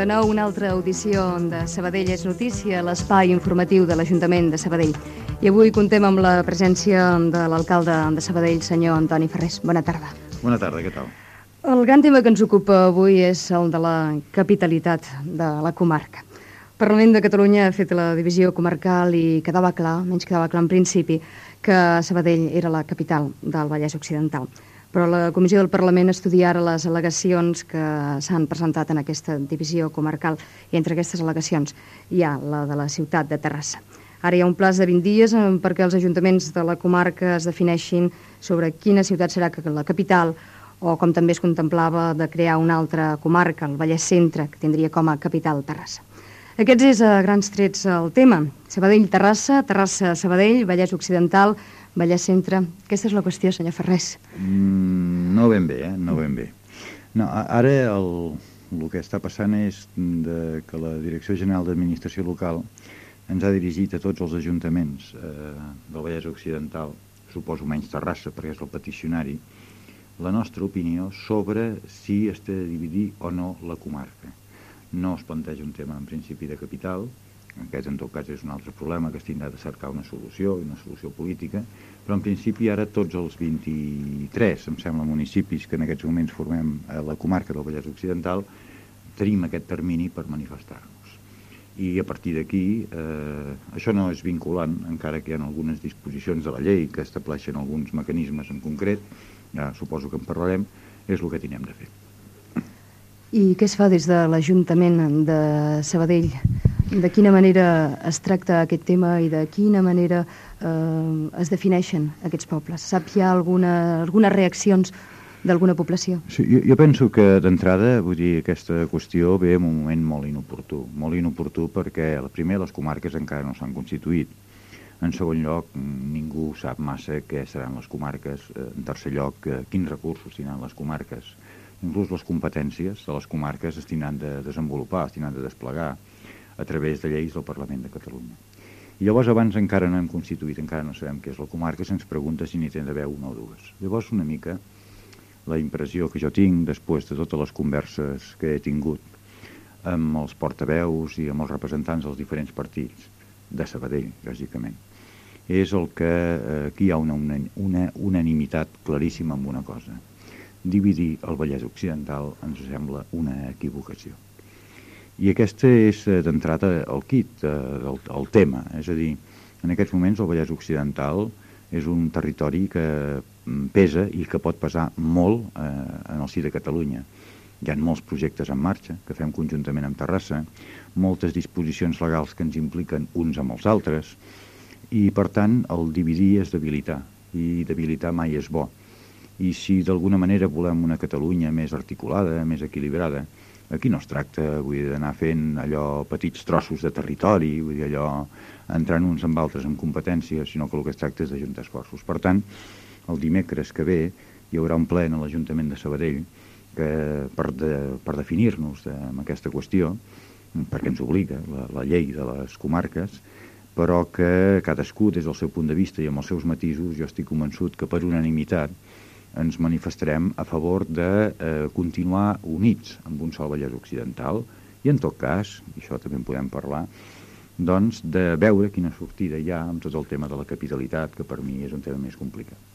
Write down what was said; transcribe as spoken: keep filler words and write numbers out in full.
de nou una altra audició de Sabadell és notícia, l'espai informatiu de l'Ajuntament de Sabadell. I avui contem amb la presència de l'alcalde de Sabadell, senyor Antoni Ferrés. Bona tarda. Bona tarda, què tal? El gran tema que ens ocupa avui és el de la capitalitat de la comarca. El Parlament de Catalunya ha fet la divisió comarcal i quedava clar, menys quedava clar en principi, que Sabadell era la capital del Vallès Occidental. Però la Comissió del Parlament estudia ara les al·legacions que s'han presentat en aquesta divisió comarcal, i entre aquestes al·legacions hi ha la de la ciutat de Terrassa. Ara hi ha un plaç de vint dies perquè els ajuntaments de la comarca es defineixin sobre quina ciutat serà la capital, o com també es contemplava de crear una altra comarca, el Vallès Centre, que tindria com a capital Terrassa. Aquests és a grans trets el tema. Sabadell-Terrassa, Terrassa-Sabadell, Vallès Occidental, Vallès Centre. Aquesta és la qüestió, senyor Ferrés. Mm, no ben bé, eh? No ben bé. No, ara el, el que està passant és de, que la Direcció General d'Administració Local ens ha dirigit a tots els ajuntaments eh, del Vallès Occidental, suposo menys Terrassa, perquè és el peticionari, la nostra opinió sobre si es té de dividir o no la comarca. No es planteja un tema en principi de capital, aquest en tot cas és un altre problema que es tindrà de cercar una solució, una solució política, però en principi ara tots els vint-i-tres, em sembla, municipis que en aquests moments formem a la comarca del Vallès Occidental, tenim aquest termini per manifestar-nos. I a partir d'aquí, eh, això no és vinculant, encara que hi ha algunes disposicions de la llei que estableixen alguns mecanismes en concret, ja suposo que en parlarem, és el que tindrem de fer. I què es fa des de l'Ajuntament de Sabadell? De quina manera es tracta aquest tema i de quina manera eh, es defineixen aquests pobles? Sap hi ha alguna, algunes reaccions d'alguna població? Sí, jo, jo penso que d'entrada, vull dir, aquesta qüestió ve en un moment molt inoportú. Molt inoportú perquè, primer, les comarques encara no s'han constituït. En segon lloc, ningú sap massa què seran les comarques. En tercer lloc, quins recursos tindran les comarques. Inclús les competències de les comarques es tindran de desenvolupar, es tindran de desplegar a través de lleis del Parlament de Catalunya. I llavors abans encara no hem constituït, encara no sabem què és la comarca, se'ns pregunta si n'hi té d'haver una o dues. Llavors una mica la impressió que jo tinc després de totes les converses que he tingut amb els portaveus i amb els representants dels diferents partits, de Sabadell, bàsicament, és el que eh, aquí hi ha una, una, una unanimitat claríssima en una cosa. Dividir el Vallès Occidental ens sembla una equivocació. I aquest és, d'entrada, el kit del el tema. És a dir, en aquests moments el Vallès Occidental és un territori que pesa i que pot pesar molt eh, en el si de Catalunya. Hi ha molts projectes en marxa que fem conjuntament amb Terrassa, moltes disposicions legals que ens impliquen uns amb els altres, i, per tant, el dividir és debilitar, i debilitar mai és bo. I si d'alguna manera volem una Catalunya més articulada, més equilibrada, aquí no es tracta d'anar fent allò petits trossos de territori, vull dir allò entrant uns amb altres en competències, sinó que el que es tracta és d'ajuntar esforços. Per tant, el dimecres que ve hi haurà un ple en l'Ajuntament de Sabadell que, per, de, per definir-nos de, amb aquesta qüestió, perquè ens obliga la, la llei de les comarques, però que cadascú des del seu punt de vista i amb els seus matisos, jo estic convençut que per unanimitat ens manifestarem a favor de eh, continuar units amb un sol Vallès Occidental i, en tot cas, i això també en podem parlar, doncs de veure quina sortida hi ha amb tot el tema de la capitalitat, que per mi és un tema més complicat.